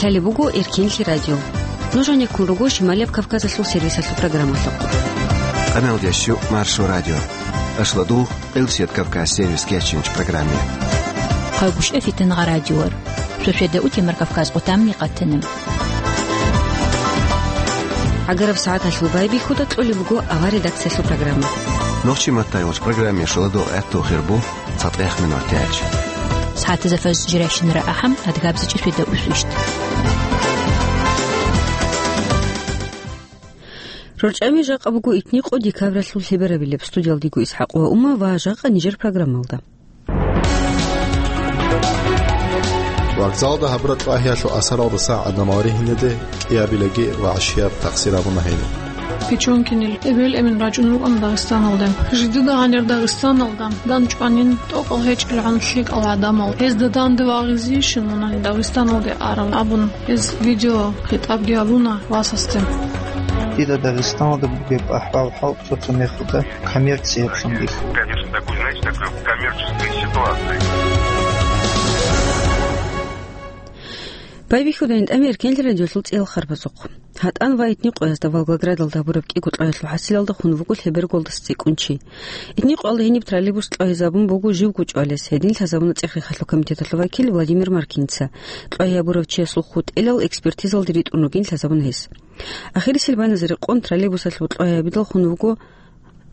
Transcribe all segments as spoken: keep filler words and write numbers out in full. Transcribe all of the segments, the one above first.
Лъалеб буго Эркенлъи радио. Нуж гьанеккун руго Шималияб Кавказалъул сервисалъул программалъухъ. Къаналдящу Маршо радио. Ашладул Къилсият Кавказ сервис кечинч программе. Хъайгушев Фитнагъа радиор. Шошеда утемар Кавказ къутамни къатанам. ГӀагараб сагӀаталъул байбихьуда кьолеб буго авар редакциялъул программа. Нохчи маттайгъуч программе шуладул гӀатту хирбу. ЦатӀех минутач. СагӀатазда фаз жирайщинара ахӀам, адгабзичӀи свида усвищт. РорчӀами жакъа буго итни къо декабралъул лъеберабилеб. Студиялдего ИсхӀакъ ва Ума ва жакъа нижер программалда. Вокзалда гьабураб тӀагьиялъул асаралдаса гӀадамал ригьинеде кӀиабилаги ва гӀашияб такъсир гьабуна гьениб. Печёнкинил эбел-эмен рачӀун рукӀана Дагъистаналде. Жидеда гьанир Дагъистаналда данчӀванин тӀокӀал гьечӀелгӀан лъикӀал гӀадамал. Гьезда данде вагъизейищин мунани Дагъистаналде арал абун, гьез видеохитӀабги гьабуна васасде. Дида Дагъистаналда бугеб ахӀвал-хӀал цо-цо мехалда коммерцияб жиндир. Конечно, такой, знаете, такой коммерческой ситуации. Байбихьуда гьитӀами Эркенлъи радиолъул цӀиял харбазухъ. ГьатӀан ва итни къоязда Волгоградалда гьабураб кӀиго тӀагьиялъул хӀасилалда хун вуго лъеберго цӀикӀкӀун чи. Итни къоялда гьениб троллейбус тӀагьизабун буго живго чӀвалес, гьедин лъазабуна ЦӀех-рехалъул комитеталъул вакил Владимир Маркиница. ТӀагьи гьабурав чиясул хутӀилал экспертизалде ритӀун ругин лъазабуна гьес. Ахирисел байназаре къон троллейбусалъул тӀагьи гьабидал хун вуго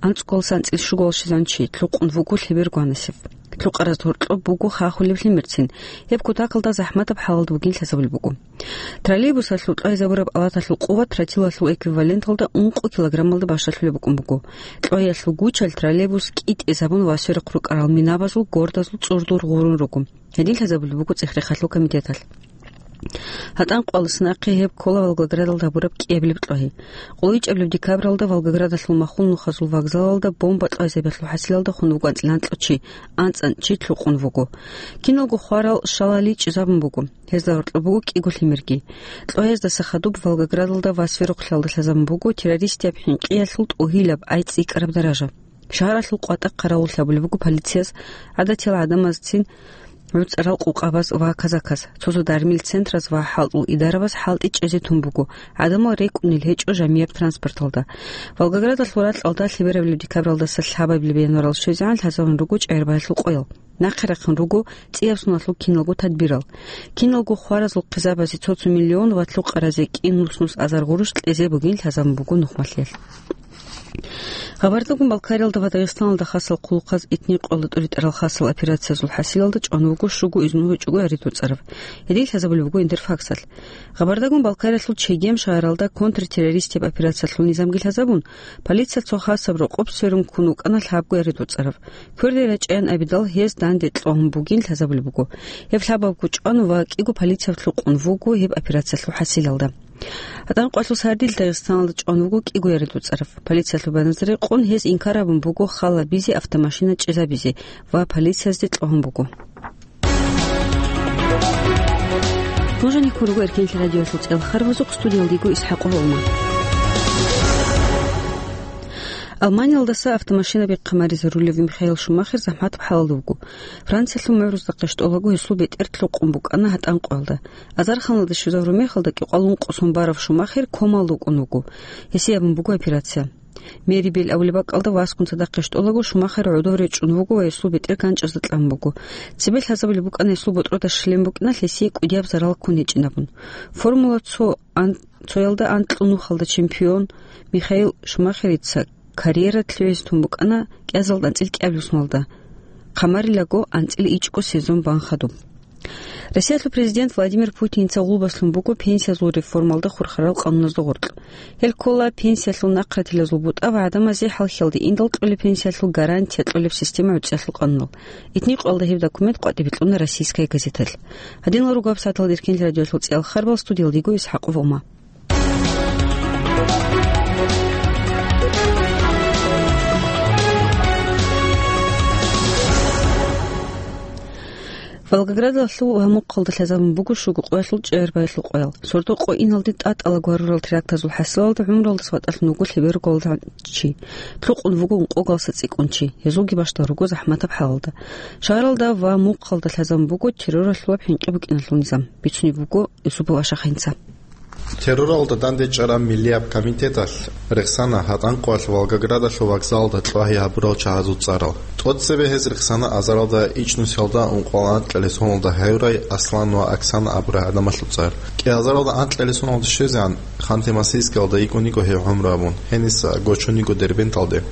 анцӀкӀкӀалдаса анцӀила щугӀалда щвезегӀан чи, лъукъун вуго лъеберго гьанасев. Лъукъараз гьоркьоб буго хахулеб лъимерцин, гьеб кутакалда захӀматаб хӀалалда бугин лъазабулеб буго. Троллейбусалъул тӀагьизабураб алаталъул къуват тротилалъул эквиваленталда ункъо килограммалда бащалъулеб букӀун буго. ТӀагьиялъул гучал троллейбус кӀитӀизабун ва сверухъ рукӀарал минабазул гордазул цӀурдур гъурун руго. Гьедин лъазабулеб буго ЦӀех-рехалъул комитеталъ. ГьатӀан къоялдаса нахъе гьеб ккола Волгоградалда гьабураб кӀиабилеб тӀагьи. КъолайичӀабилеб декабралда Волгоградалъул махул нухазул вокзалалда бомба тӀагьизабиялъул хӀасилалда хун вуго анцӀила анкьа чи, анцӀила чи лъукъун вуго. Киналго хварал щалали чӀезабун буго. Гьезда гьоркьоб буго кӀиго лъимерги. ТӀагьиздаса хадуб Волгоградалда ва сверухълъиялда лъазабун буго террористияб хӀинкъиялъул тӀугьилаб ай цӀикӀкӀараб даража. Шагьаралъул къватӀа хъаравуллъи гьабулеб буго полицияс гӀадатиял гӀадамазцин, гӀуцӀарал къукъабаз ва казаказ, цо-цо дармил центраз ва хӀалтӀул идарабаз хӀалтӀи чӀезе тун буго, гӀадамал рекӀунел гьечӀо жамияб транспорталда. Волгоградалъул ракьалда лъеберабилеб декабралдаса лъабабилеб январалда щвезегӀан лъазабун руго ЧӀагӀербаялъул къоял. Нахъе рахъун руго цӀияб соналъул киналго тадбирал. Киналго хваразул хъизабазе цо-цо миллион ва лъукъаразе кӀи нус-нус азар гъурущ кьезе бугин лъазабун буго нухмалъиялъ. Къабардагун-Балкариялда ва Дагъистаналда хасал хъулухъаз итни къоялда тӀуритӀарал хасал операциязул хӀасилалда чӀван вуго щуго изну гьечӀого яридуцӀарав. Гьедин лъазабулеб буго Интерфаксалъ. Къабардагун-Балкариялъул Чегем шагьаралда контртеррористияб операциялъул низамги лъазабун, полиция цо хасаб рокъоб сверун ккун вукӀана лъабго яридуцӀарав. Кверде рачӀаян абидал гьез данде кьогьун бугин лъазабулеб буго. Гьеб лъабабго чӀван ва кӀиго полицияб лъукъун вуго гьеб операциялъул хӀасилалда. ГьатӀан къоялъул сардилъ Дагъистаналда чӀван вуго кӀиго яридуцӀарав. Полициялъул байназаре къун гьез инкар гьабун буго хал гьабизе, автомашина чӀезабизе ва полициязде кьогьун буго. Нуж гьанеккун руго Эркенлъи радиоялъул цӀиял харбазухъ, студиялдего ИсхӀакъ ва Ума. Алманиялдаса автомашина бехъамаризе рулев Михаил Шумахер захӀматаб хӀалалда вуго. Франциялъул мугӀрузда къищтӀолаго гьесул бетӀер лъукъун букӀана гьатӀан къоялда. Азарханалда щвезавураб мехалда кӀикъоялда ункъо сон барав Шумахер комаялда вукӀун вуго. Гьесие абун буго операция. Мерибел абулеб бакӀалда васкун цадахъ къищтӀолаго Шумахер гӀодов речӀчӀун вуго ва гьесул бетӀер ганчӀазда кьан буго. Цебе лъазабулеб букӀана гьесул ботӀрода щвелеб букӀиналъ гьесие кӀудияб зарал ккун гьечӀинабун. Формула цо ан-, цоялда анкьго нухалда чемпион Михаил Шумахерица карьера лъугӀизе тун букӀана кӀиазалда анцӀила кӀиабилеб соналда. Хъамарилаго анцӀила ичӀго сезон бан хадуб. Россиялъул президент Владимир Путиница гъулбаслъун буго пенсиязул реформалда хурхарал къануназда гъоркь. Гьел ккола пенсиялъул нахъратилазул бутӀа ва гӀадамазе хӀалхьиялде индал кьолеб пенсиялъул гарантия кьолеб система гӀуцӀиялъул къануналъ. Итни къоялда гьеб документ къватӀибе кьуна Российская газеталъ. Гьадинал руго гьабсагӀаталда Эркенлъи радиоялъул цӀиял харбал, студиялдего ИсхӀакъ ва Ума. Волгоградалъул ва мухъалда лъазабун буго щуго къоялъул чӀегӀербаялъул къоял. Сордо къо иналде тӀатӀала гварурал терактазул хӀасилалда гӀумралдаса ватӀалъун вуго лъеберго чи. Лъукъун вуго ункъоялдаса цӀикӀкӀун чи. Гьезулги бащдал руго захӀматаб хӀалалда. Шагьаралда ва мухъалда лъазабун буго терроралъул ва хӀинкъи букӀиналъул низам. Бицунеб буго Юсупов Ашахинца. Терроралда дандечӀараб миллияб комитеталъ рехсана гьатӀанкъоялъ Волгоградалъул вокзалалда кьвагьи гьабурал чагьазул цӀарал. ТӀоцебе гьез рехсана азаралда ичӀнусиялда ункъоялда анкьалесуналда гьавурай Аслан ва Оксана абурай гӀадамалъул цӀар. КӀиазаралда анкьалесуналда щвезегӀан Ханты-Мансийскиялда йикӀун йиго гьев гӀумру гьабун, гьениса гочун йиго Дербенталде.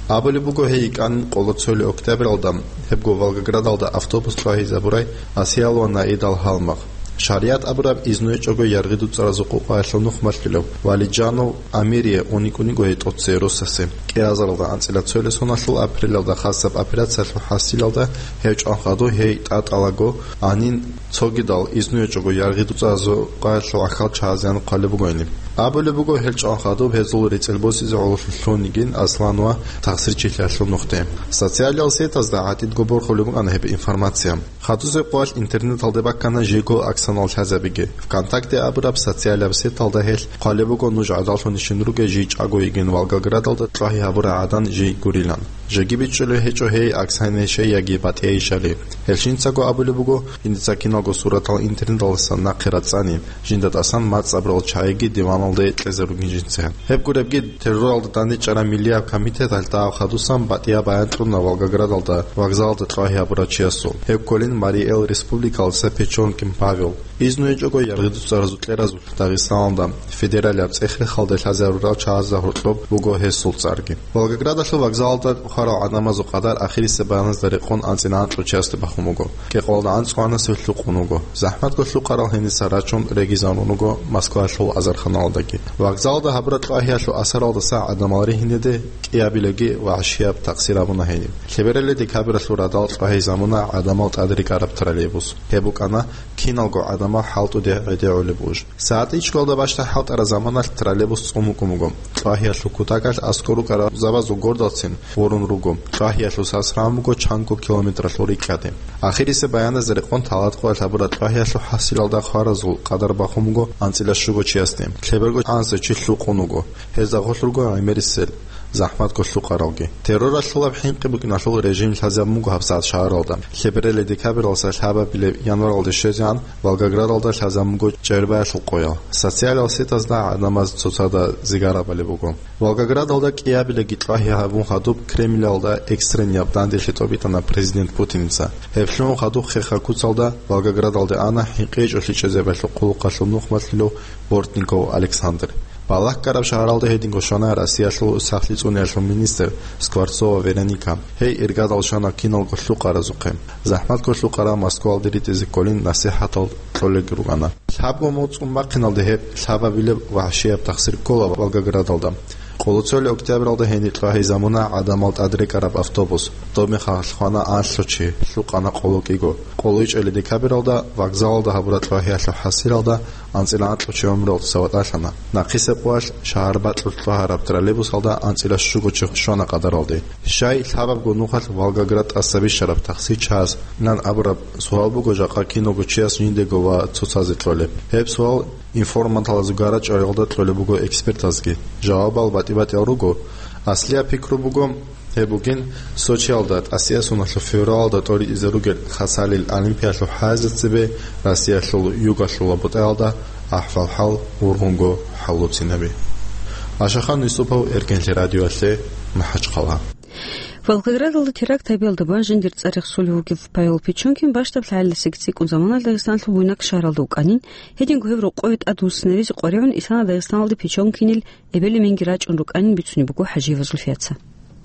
Абулеб буго, гьей йикӀанин къоло цоли октябралда, гьебго Волгоградалда автобус кьвагьизабурай Асиял ва Наидал гьалмагъ. ШаригӀат абураб изну гьечӀого яргъи дуцӀаразул къукъаялъул нух малъулев Валиджанов Амире уникӀун йиго гьей тӀоцей росасе. КӀиазаралда анцӀила цойлесуналъул апрелалда хасаб операциялъул хӀасилалда гьев чӀван хадуб гьей тӀатӀалаго гьанин цогидал изну гьечӀого яргъи дуцӀаразул къукъаялъул гӀахьал чагьазеян хъвалеб бугони. Абулеб буго, гьел чӀван хадуб гьезул рецӀел босизе гӀололъун лъун йигин Аслан ва тахсирчилъиялъул нухде. Социалиал сетазда гӀатӀидго борхулеб букӀана гьеб информация. Хадусеб къоялъ интернеталде баккана жийго Оксанал лъазабиги. ВКонтакте абураб социалияб сеталда гьелъ хъвалеб буго нуж гӀадаллъунищин ругел жий чӀаго йигин Волгоградалда кьвагьи гьабурай гӀадан жий гурилан. Жеги бичӀчӀулеб гьечӀо гьей Оксанайищай яги БатӀияйищали. Гьел жинцаго абулеб буго, жиндица киналго суратал интернеталдасан нахъе рацӀцӀани, жинда тӀасан мацӀ абурал чагӀиги диваналде кьезе ругин жинца. Гьеб гуребги, терроралда дандечӀараб миллияб комитеталъ дагьаб хадусан батӀияб баян кьуна Волгоградалда вокзалалда кьвагьи гьабурав чиясул. Гьев кколин Марий Эл Республикалдаса Печенкин Павел. Изну гьечӀого яргъи дуцӀаразул кьеразулъ Дагъистаналда федералияб цӀех-рехалде лъазарурал чагӀазда гьоркьоб буго гьесул цӀарги. Волгоградалъул вокзалалда хварал гӀадамазул къадар ахирисеб баяназда рекъон анцӀила анкьго чиясде бахун буго. Кьекъоялда анцӀго гьанасев лъукъун вуго. ЗахӀматго лъукъарал гьениса рачун регизарун руго Москваялъул азарханалдаги. Вокзалалда гьабураб кьвагьиялъул асаралдаса гӀадамал ригьинеде кӀиабилеги вагӀшияб такъсир гьабуна гьениб. Лъебералде декабралъул радал кьвагьизабуна гӀадамал тӀадрекӀараб троллейбус. Гьеб букӀана киналго гӀадамал хӀалтӀуде гӀедегӀулеб буж. СагӀат ичӀго бащдаб хӀалтӀараб заманалъ троллейбус цӀун букӀун буго. Кьвагьиялъул кутакалъ аскӀор рукӀараб гӀадамазул гордалцин гъорун руго. Кьвагьиялъул сас рагӀун буго чанго километралъул рикӀкӀаде. Ахирисеб баяназда рекъон талатӀкъоялъ гьабураб кьвагьиялъул хӀасилалда хваразул къадар бахун буго анцӀила щуго чиясде. Лъеберго гьанасев чи лъукъун вуго. Гьезда гъорлъ руго гӀемерисел, захӀматго лъукъаралги. Терроралъулаб хӀинкъи букӀиналъул режим лъазабун буго гьабсагӀат шагьаралда. Лъебералде декабралдаса лъабабилеб январалде щвезегӀан Волгоградалда лъазабун буго чӀегӀербаялъул къоял. Социалиал сетазда гӀадамаз цоцазда зигарабали буго. Волгоградалда кӀиабилеги кьвагьи гьабун хадуб Кремлалда экстреннияб данделъи тӀобитӀана президент Путиница. Гьеб лъугӀун хадуб хеха куцалда Волгоградалде ана хӀинкъи гьечӀолъи чӀезабиялъул хъулухъалъул нух малъулев Бортников Александр. Балагь ккараб шагьаралда гьединго щвана Россиялъул сахлъи цӀуниялъул министр Скворцова Вероника. Гьей иргадал щвана киналго лъукъаразухъе. ЗахӀматго лъукъарал Москвалде ритӀизе кколин насихӀатал кьолелги рукӀана. Лъабго моцӀ цӀун бахъиналде гьеб лъабабилеб вагӀшияб такъсир ккола Волгоградалда. Къоло цоли октябралда гьениб кьвагьизабуна гӀадамал тӀадрекӀараб автобус. Доб мехалъ хвана анлъго чи, лъукъана къоло кӀиго. Къоло ичӀели декабралда вокзалалда гьабураб кьвагьиялъул хӀасилалда анцӀила анкьго чи гӀумруялдаса ватӀалъана. Нахъисеб къоялъ шагьар бакьулъ кьвагьараб троллейбусалда анцӀила щуго чи щвана къадаралде. Щай лъабабго нухалъ Волгоград тӀаса бищараб такъсир чагӀаз нан абураб суал буго жакъа киналго чияс жиндего ва цоцазе кьолеб. Гьеб суал информаталазул гара-чӀвариялда кьолеб буго экспертазги. Жавабал батӀи-батӀиял руго. Аслияб пикру буго, гьеб бугин Сочиялда тӀасияб соналъул февралалда тӀоритӀизе ругел Хасалил Олимпиялъул хӀайзацебе Россиялъул югалъул БутӀаялда ахӀвал-хӀал вургъунго хӀаллуцинаби. Ашахан Юсупов, Эркенлъи радиоялъе, МахӀачхъала. Волгоградалда теракт гьабиялда бан жиндир цӀар рехсулев вугев Павел Печенкин бащдаб лъагӀалиласаги цӀикӀкӀун заманалъ Дагъистаналъул буйнаксагӀат шагьаралда вукӀанин, гьединго гьев рокъове тӀадвуссинаризе къваригӀун исана Дагъистаналде Печенкинил эбел-эменги рачӀун рукӀанин бицунеб буго ХӀажиева Зульфияца.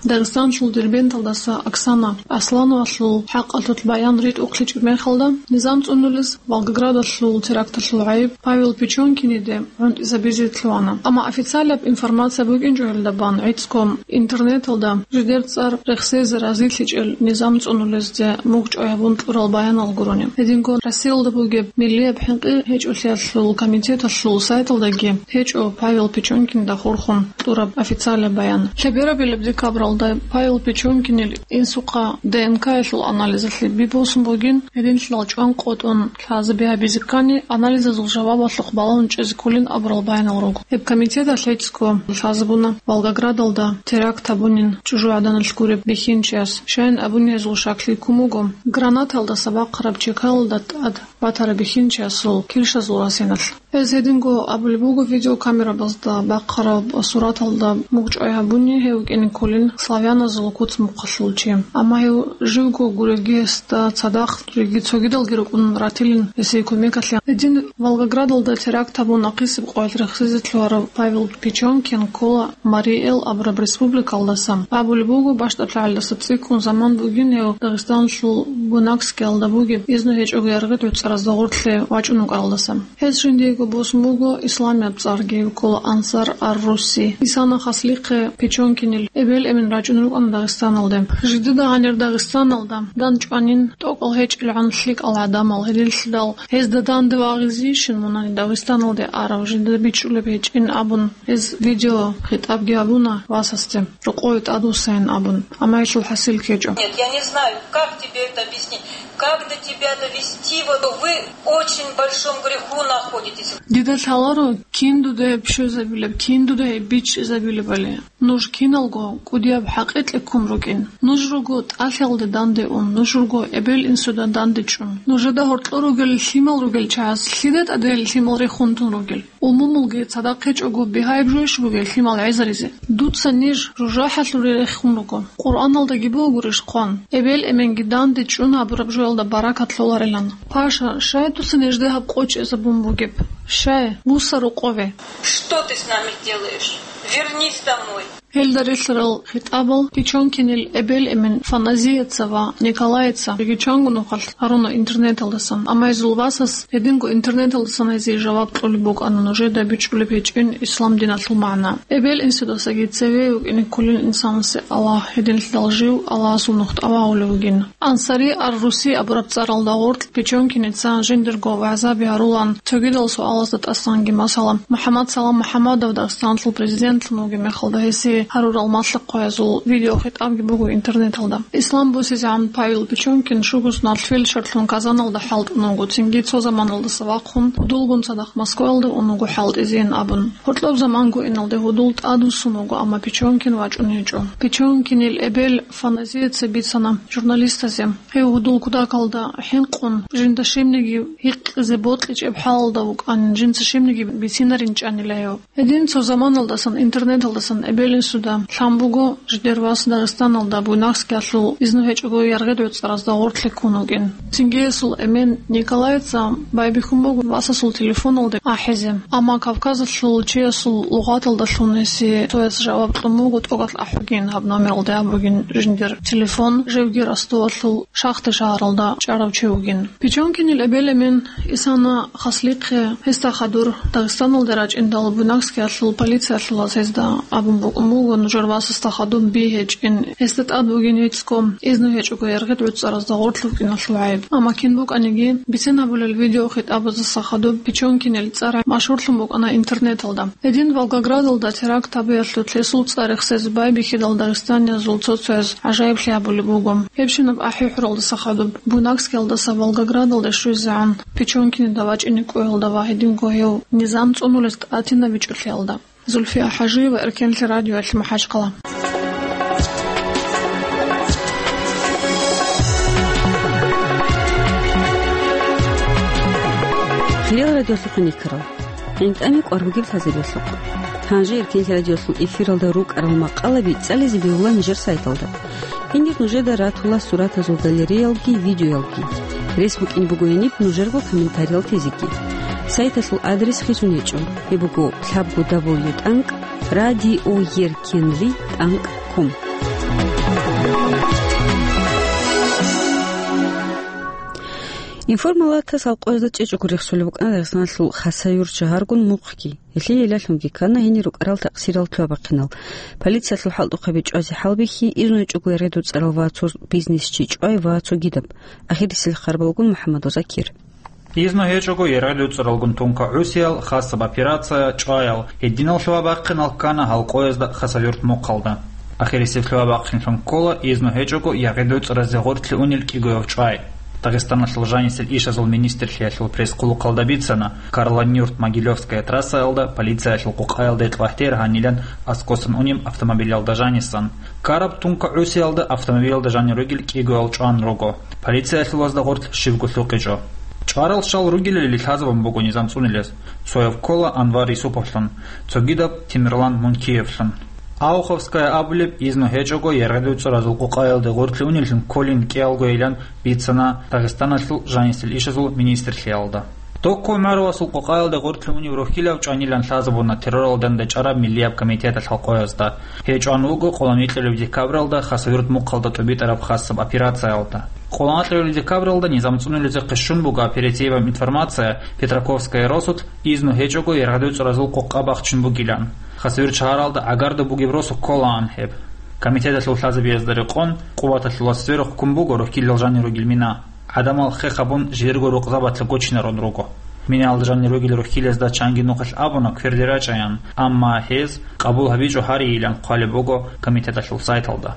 Дагъистаналъул Дербенталдаса Оксана Аслановалъул хӀакъалъулъ баян ритӀухълъичӀеб мехалда, низам цӀунулез Волгоградалъул теракталъул гӀайиб Павел Печенкиниде гӀунтӀизабизе лъугьана. Амма официалаб информация букӀинчӀо гьелда бан гӀицӀго интернеталда жидер цӀар рехсезе разилъичӀел низам цӀунулезде мугъчӀвай гьабун кьурал баянал гурони. Гьединго Россиялда бугеб миллияб хӀинкъи гьечӀолъиялъул комитеталъул сайталдаги гьечӀо Павел Печенкинда хурхун кьураб официалаб баян. Лъеберабилеб декабралда Алда Павел Печенкинил инсухъа Д Н К-ялъул анализалъе бибосун бугин, гьединлъидал чӀван къотӀун лъазаби гьабизе ккани, анализазул жавабалъухъ балагьун чӀезе кколин абурал байинал руго. Гьеб комитеталъ гьечӀго лъазабуна Волгоградалда теракт гьабунин чӀужугӀаданалъ гуреб бихьинчияс. Щайин абуни гьезул шаклъи ккун буго, гранаталдаса бахъараб чекалалда тӀад батараб бихьинчиясул килщазул расиналъ. Гьез гьединго абулеб буго, видеокамерабазда бахъараб сураталда мугъчӀвай гьабуни гьев вукӀине кколин славяназул куц-мухъалъул чи. Амма гьев живго гуревги гьесда цадахъ жеги цогидалги рукӀун ратилин гьесие кумекалъе. Гьедин Волгоградалда теракт гьабун ахъисеб къоялъ рехсезе лъугьарав Павел Печенкин ккола Марий Эл абураб республикалдаса. Абулеб буго, бащдаб лъагӀалдаса цӀикӀкӀун заман бугин гьев Дагъистаналъул Буйнакскиялда бугеб изну гьечӀого яргъи гӀуцӀаразда гъорлъе вачӀун вукӀаралдаса. Гьес жиндиего босун буго исламияб цӀарги, ккола Ансар ар-Русси. Исана хаслихъе Печенкинил эбел-эмен рачӀун рукӀана Дагъистаналде. Жидеда гьанир Дагъистаналда дандчӀванин тӀокӀал гьечӀелгӀан лъикӀал гӀадамал, гьединлъидал гьезда данде вагъизейищин мунани Дагъистаналде арав, жидеда бичӀчӀулеб гьечӀин абун, гьез видеохитӀабги гьабуна васасде, рокъове тӀадвуссайин абун, амма гьелъул хӀасил ккечӀо. Нет, я не знаю, как тебе это объяснить, как до тебя довести, вот вы в очень большом греху находитесь. Дида лъаларо, кин дуда гьеб щвезабилеб, кин дуда гьеб бичӀчӀизабилебали. Нуж киналго кӀудияб хӀакъикъе ккун рукӀин. Нуж руго тӀалъиялде данде ун, нуж руго эбел-инсуда данде чӀун. Нужеда гьоркьор ругел лъимал ругел чагӀаз лъида тӀаде гьел лъимал рехун тун ругел? Умумулги цадахъ гьечӀого бигьаяб жойищ бугеб лъимал гӀезаризе? Дуца ниж жужахӀалъуре рехун руго. Къуръаналдаги бугурищ хъван: «Эбел-эменги данде чӀун гьабураб жоялда баракат лъоларилан». Паша, щай дуца нижде гьаб къо чӀезабун бугеб? Щай? Вуса рокъове. Что ты с нами делаешь? Вернись домой. Гьелда релълъарал хитӀабал Печенкинил эбел-эмен Фаназияца ва Николаица жеги чанго нухалъ гьаруна интернеталдасан, амма гьезул васас гьединго интернеталдасан гьезие жаваб кьолеб букӀана нужеда бичӀчӀулеб гьечӀин ислам диналъул магӀна. Эбел-инсудасаги цеве вукӀине кколин инсанасе Аллагь, гьединлъидал жив Аллагьасул нух тӀавугӀулев вугин. Ансари ар-Руси абураб цӀаралда гъоркь Печенкиница жиндирго вагӀзаби гьарулан, цогидал суалазда тӀасанги, масала, МухӀаммад Салам МухӀаммадов Дагъистаналъул президентлъун вугеб мехалда гьесие гьарурал малъа-хъваязул видеохитӀабги буго интернеталда. Ислам босизегӀан Павел Печенкин шуго соналъ фельдшерлъун Казаналда хӀалтӀун вуго, цинги цо заманалдаса вахъун гьудулгун цадахъ Москваялда ун вуго хӀалтӀизейин абун. Гьоркьоб заман гуиналде гьудул тӀадвуссун вуго, амма Печенкин вачӀун гьечӀо. Печенкинил эбел Фаназияца бицана журналистазе, гьев гьудул кутакалда хӀинкъун, жинда щибниги гьикъизе бокьичӀеб хӀалалда вукӀанин, жинца щибниги бицинаринчӀанила гьев. Гьедин цо заманалдасан интернеталдасан эбел-инсуда лъан буго жидер вас Дагъистаналда Буйнакскиялъул изну гьечӀого яргъи гӀуцӀаразда гъоркье ккун вукӀин. Цинги гьесул эмен Николайица байбихьун буго васасул телефоналде ахӀизе. Амма Кавказалъул чиясул лугъаталдалъун гьесие цояс жаваб кьун буго тӀокӀалъ ахӀугин, гьаб номералде абугин жиндир телефон, живги Ростовалъул Шахта шагьаралда чӀарав чи вугин. Печенкинил эбел-эмен Исана хаслихъе, гьесда хадур Дагъистаналде рачӀиндал Буйнакскиялъул полициялъулаз гьезда абун букӀун буго, нужер васасда хадуб би гьечӀин, гьесда тӀад бугин гьецӀго, изну гьечӀого яргъи гӀуцӀаразда гъоркь вукӀиналъул гӀайиб. Амма кин букӀаниги, бицин гьабулел видеохитӀабаздаса хадуб Печенкинил цӀар машгьурлъун букӀана интернеталда. Гьедин Волгоградалда теракт гьабиялъулъ гьесул цӀар рехсезе байбихьидал дагъистаниязул цо-цояз гӀажаиблъи гьабулеб буго. Гьебщинаб ахӀи-хӀуралдаса хадуб Буйнакскиялдаса Волгоградалде щвезегӀан Печенкинида вачӀине кӀвеялда ва гьединго гьев низам цӀунулес тӀатинабичӀолъиялда. Зульфия ХӀажиева, Эркенлъи радиоялъ, МахӀачхъала. Хириял радиолъухъ никарал. ГӀинтӀами кӀвар бугеб лъазабиялъухъ. Гьанже Эркенлъи радиолъул эфиралда рукӀарал макъалаби цӀализе бегьула нижер сайталда. Гьенир нужеда ратула суратазул галереялги, видеоялги. Рес букӀин буго гьениб нужерго комментариял тезеги. Сайталъул адрес хисун гьечӀо. Гьеб буго лъабго дабл ю тӀанкӀ радиоеркенлъи тӀанкӀ ком. Информалатас алкъоязда чӀечӀого рехсолеб букӀана Дагъистаналъул Хасавюрт шагьаргун мухъги. Гьелъие илалъунги ккана гьенир рукӀарал такъсирал лъугьа-бахъинал. Полициялъул хӀалтӀухъаби чӀвазе хӀалбихьи, изну гьечӀого яргъи дуцӀарал ва цо бизнесчи чӀвай ва цогидаб. Ахирисел хабаралгун МухӀаммадов Закир. Изну гьечӀого яргъи дуцӀаралгун тункагӀусиял, хасаб операция, чӀваял, гьединал лъугьа-бахъинал ккана гьалкъоязда Хасавюрт мухъалда. Ахирисеб лъугьа-бахъинлъун ккола изну гьечӀого яргъи-дуцӀразе гъорлъе унел кӀигояв чӀвай. Дагъистаналъул жанисел ишазул министрлъиялъул пресс-хъулухъалда бицана, Карлонюрт Могилевская трассаялда полициялъул къукъаялде тӀвагьтер гьанилан аскӀосан унеб автомобилялда жанисан. Ккараб тункагӀусиялда автомобилялда жанир ругел кӀигоял чӀван руго. Полициялъулазда гъорлъ щибго лъукъичӀо. ЧӀварал щал ругелали лъазабун буго низам цӀунилез. Цояв ккола Анвар Юсуповлъун, цогидаб Темирлан Мункиевлъун. Ауховская абулеб изну гьечӀого яргъи-дуцӀразул къукъаялде гъорлъе унеллъун кколин кӀиялгойилан бицана Дагъистаналъул жанисел ишазул министрлъиялда. Докку ГӀумаровасул къукъаялде гъорлъе унев рохьилав чӀванилан лъазабуна терроралде дандечӀараб миллияб комитеталъ халкъоязда. Гьев чӀван вуго къоло анкьабилеб декабралда Хасавюрт мухъалда тӀубитӀараб хасаб операциялда. Къоло анкьабилеб декабралда низам цӀунулезехъе щун буго оперативаб информация Петраковская росулъ изну гьечӀого яргъи-дуцӀразул къукъа бахчун бугилан. Хасавюрт шагьаралда гӀагарда бугеб росу кколаан гьеб. Комитеталъул лъазабиязда рекъон, къуваталъула сверухъ ккун буго рохьилал жанир ругел мина. ГӀадамал хех гьабун, жидерго рукъзабазда гочинарун руго. Минаялда жанир ругел рохьилазда чанги нухалъ абуна кверде рачӀаян, амма гьез къабул гьабичӀо гьарейилан хъвалеб буго комитеталъул сайталда.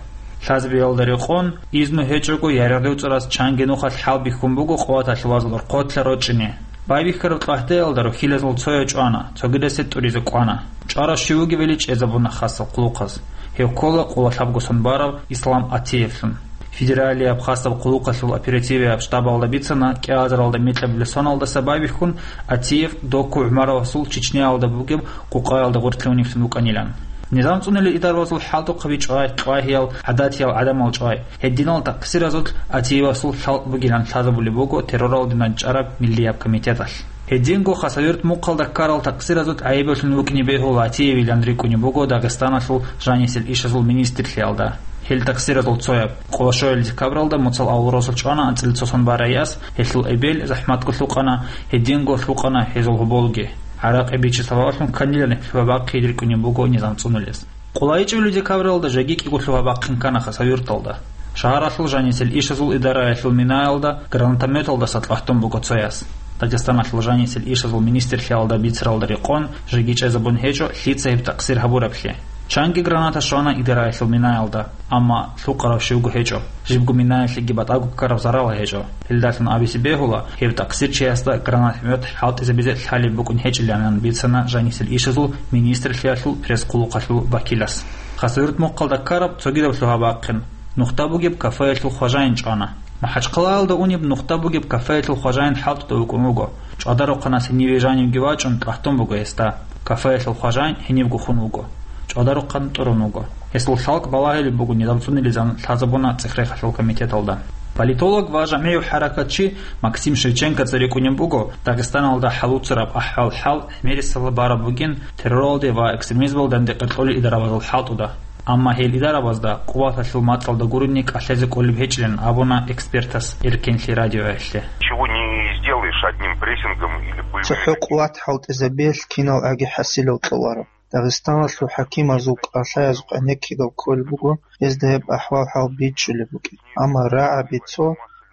Лъазабиялда рекъон, изну гьечӀого яргъи-дуцӀраз чанги нухалъ хӀалбихьун буго къуваталъулазул рохьилал рорчӀине. Байбихьараб тӀвагьтеялда рохьилазул цояв чӀвана, цогидасе тӀуризе кӀвана. ЧӀварав щив вугевали чӀезабуна хасаб хъулухъаз. Гьев ккола къоло лъабго сон барав Ислам Атиевлъун. Федералияб хасаб хъулухъалъул оперативияб штабалда бицана, кӀиазаралда микьабилеб соналдаса байбихьун, Атиев Докку ГӀумаровасул Чечняялда бугеб къукъаялда гъорлъе уневлъун вукӀанилан. Низам цӀунулел идарабазул хӀалтӀухъаби чӀвай, тӀвагьиял, гӀадатиял гӀадамал чӀвай. Гьединал такъсиразулъ Атиевасул хӀалтӀ бугилан лъазабулеб буго терроралде дандечӀараб миллияб комитеталъ. Гьединго Хасавюрт мухъалда ккарал такъсиразул гӀайибалъун вукӀине бегьула Атиевилан рикӀкӀунеб буго Дагъистаналъул жанисел ишазул министрлъиялда. Гьел такъсиразул цояб, къоло щуабилеб декабралда Муцал авул росулъ чӀвана анцӀила цо сон барай яс, гьелъул эбел захӀматго лъукъана, гьединго лъукъана гьезул гьоболги. ГӀаракъи бичи сабаблъун кканилан лъугьа-бахъине рикӀкӀунеб буго низам цӀунулез. Къоло ичӀабилеб декабралда жеги кӀиго лъугьа-бахъин ккана Хасавюрталда. Шагьаралъул жанисел ишазул идараялъул минаялда гранатометалдаса тӀвагьтун буго цо яс. Дагъистаналъул жанисел ишазул министрлъиялда бицаралда рекъон, жеги чӀезабун гьечӀо лъица гьеб такъсир гьабураблъи. Чанги граната щвана идараялъул минаялда, амма лъукъарав щивго гьечӀо, жибго минаялъеги батӀаго ккараб зарал гьечӀо. Гьелдалъун абизе бегьула, гьеб такъсирчиясда гранатомет хӀалтӀизабизе лъалеб букӀун гьечӀиланан бицана жанисел ишазул министрлъиялъул пресс-хъулухъалъул вакилас. Хасавюрт мухъалда ккараб цогидаб лъугьа-бахъин. Нухда бугеб кафеялъул хважаин чӀвана. МахӀачхъалаялда унеб нухда бугеб кафеялъул хважаин хӀалтӀуда вукӀун вуго. ЧӀвадарухъанас гьениве жанивги вачӀун тӀвагьтун буго гьесда. Кафеялъул хважаин гьенивго хун вуго. ЧӀвадарухъан тӀурун вуго. Гьесул хӀалтӀи балагьулеб буго низам цӀунилан лъазабуна цӀех-рехалъул комитеталда. Политолог ва жамгӀияв хӀаракатчи Максим Шевченкоца рикӀкӀунеб буго Дагъистаналда хӀалуцараб ахӀвал-хӀал гӀемерисела бараб бугин терроралде ва экстремизмалде дандекъер кьолел идарабазул хӀалтӀуда. Амма гьел идарабазда къуваталъул мацӀалда гурони кӀалъазе кӀолеб гьечӀилан абуна экспертас Эркенлъи радиоялъе. Чего не сделаешь одним прессингом или боевыми... ЦохӀо къуват хӀалтӀизабиялъ кинал аги хӀасилал кьоларо. Дагъистаналъул хӀакимазул кӀалъаязухъ гӀенеккидал кколеб буго, гьезда гьеб ахӀвал-хӀал бичӀчӀулеб букӀин. Амма рагӀаби цо,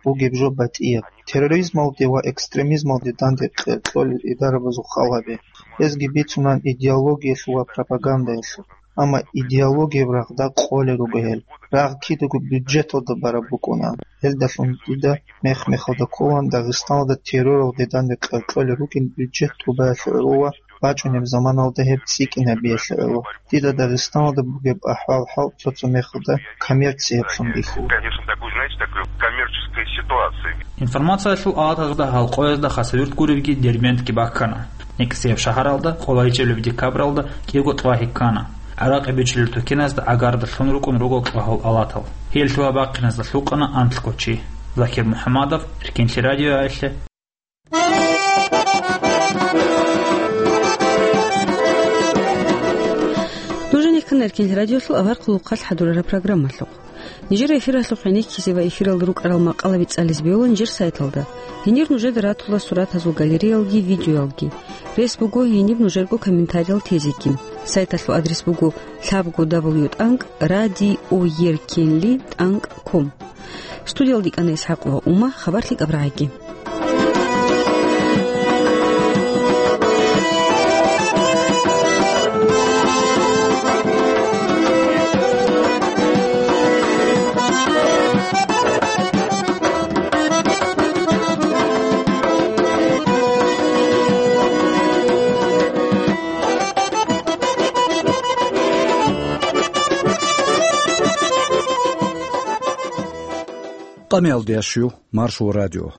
бугеб жо батӀияб. Терроризмалде ва экстремизмалде данде кье-, кьолел идарабазул хал гьабе. Гьезги бицунан идеологиялъул ва пропагандаялъул. Амма идеологияб рагъда къолел руго гьел. Рагъ кидаго бюджеталда бараб букӀунаан. Гьелдалъун дида мех-мехалда кколаан Дагъистаналда терроралде данде кье-, кьолел ругел бюджет тӀубаялъе гӀоло ва бачӀунеб заманалда гьеб цӀикӀкӀинабиялъе гӀоло. Дида Дагъистаналда бугеб ахӀвал-хӀал цо-цо мехалда коммерциялъун бихьула. Конечно, такой, знаете, такой коммерческой ситуации. Информациялъул алатазда гьалкъоязда Хасавюрт гуребги Дербентги бахкана. НекӀсияб шагьаралда къоло ичӀабилеб декабралда кӀиго тӀвагьи ккана. ГӀаракъи бичулел тукеназда гӀагарда лъун рукӀун руго тӀвагьал алатал. Гьел лъугьа-бахъиназда лъукъана анлъго чи. Закир МухӀамадов, Эркенлъи радиоялъе. Нуж гьанир ккана Эркенлъи радиолъул авар хъулухъалъ хӀадурараб программалъухъ. Нижер эфиралъухъ гӀенеккизе ва эфиралда рукӀарал макъалаби цӀализе бегьулаан нижер сайталда. Гьенир нужеда ратула суратазул галереялги видеоялги. Рес буго гьениб нужерго комментариял тезеги. Сайталъул адрес буго лъабго дабл ю тӀанкӀ радиоеркенли тӀанкӀ ком. Студиялда кӀана ИсхӀакъ ва Ума, хабар лъикӀаб рагӀаги. Амиялдиящу Маршо радио.